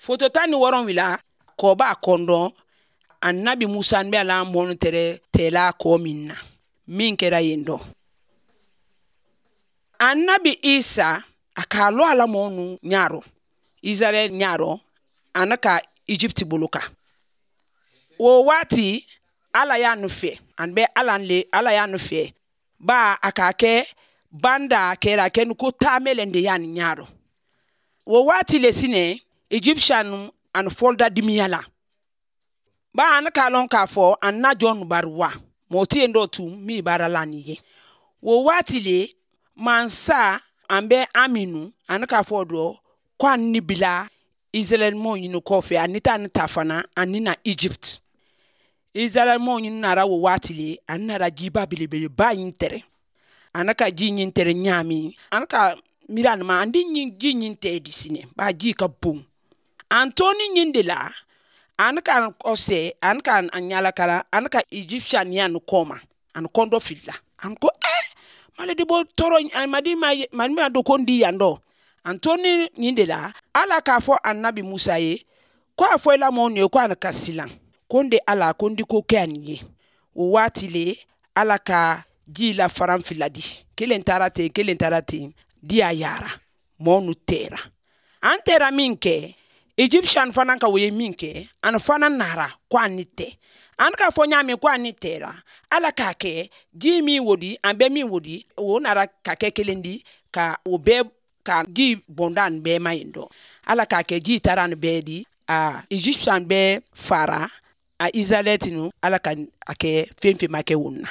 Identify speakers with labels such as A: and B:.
A: Foto 17, kɔba kɔndɔn Annabi Musa bɛ ala mɔnu tɛrɛ tɛla kɔ min na min kɛra yen dɔ. Annabi Isa a k'a lɔ ala mɔnu ɲarɔ Israɛl ɲarɔ ana ka Egypte bolo kan. O waati ala y'a nu fɛ, an bɛ ala le, ala y'a nu fɛ ba a k'a kɛ banda kɛra kɛ ko taamelen de y'a ni ɲarɔ. O waati le sinɛ Egyptian ani fɔlda dimiya la. Ba an k'a lɔn k'a fɔ an na jɔn bari wa mɔgɔ tɛ yen dɔ tun min baara la nin ye. O waati le mansa an bɛ aminu an k'a fɔ dɔ ko an ni bila Israɛl mɔɔ ɲini kɔfɛ ani taa ni ta fana ani na Egypte. Israɛl mɔɔ ɲini nara o waati le an nara jiba belebeleba ɲin tɛrɛ. An ka ji ɲin tɛrɛ ɲaami an ka miiri an ma an di ji ɲin tɛ di sinɛ ba ji ka bon. An toni ɲin de la an ka kɔsɛ an ka an ɲalakara an ka Egyptian ya nu kɔma an kɔndɔ filila an ko mali de bɔ tɔɔrɔ an madi ma mali ma do ko n di yan dɔ. An toni ɲin de la ala k'a fɔ Annabi Musa ye ko a fɔ i la mɔɔ ye ko an ka silan ko n de ala ko n di ko kɛ an ye. O waati le ala ka ji la faran fila di, kelen taara ten, kelen taara ten, di a yara mɔɔ nu tɛra. An tɛra min kɛ Egyptian fana ka o ye min kɛ an fana nara ko an ni tɛ. An k'a fɔ ɲaami ko an ni tɛra ala k'a kɛ ji min wodi an bɛ min wodi o nara ka kɛ kelen di ka o bɛɛ ka ji bɔnda an bɛɛ ma yen dɔ. Ala k'a kɛ ji taara an bɛɛ di a Egyptian bɛɛ fara a Israɛlɛti nu ala ka a kɛ fɛn fɛn ma kɛ o na.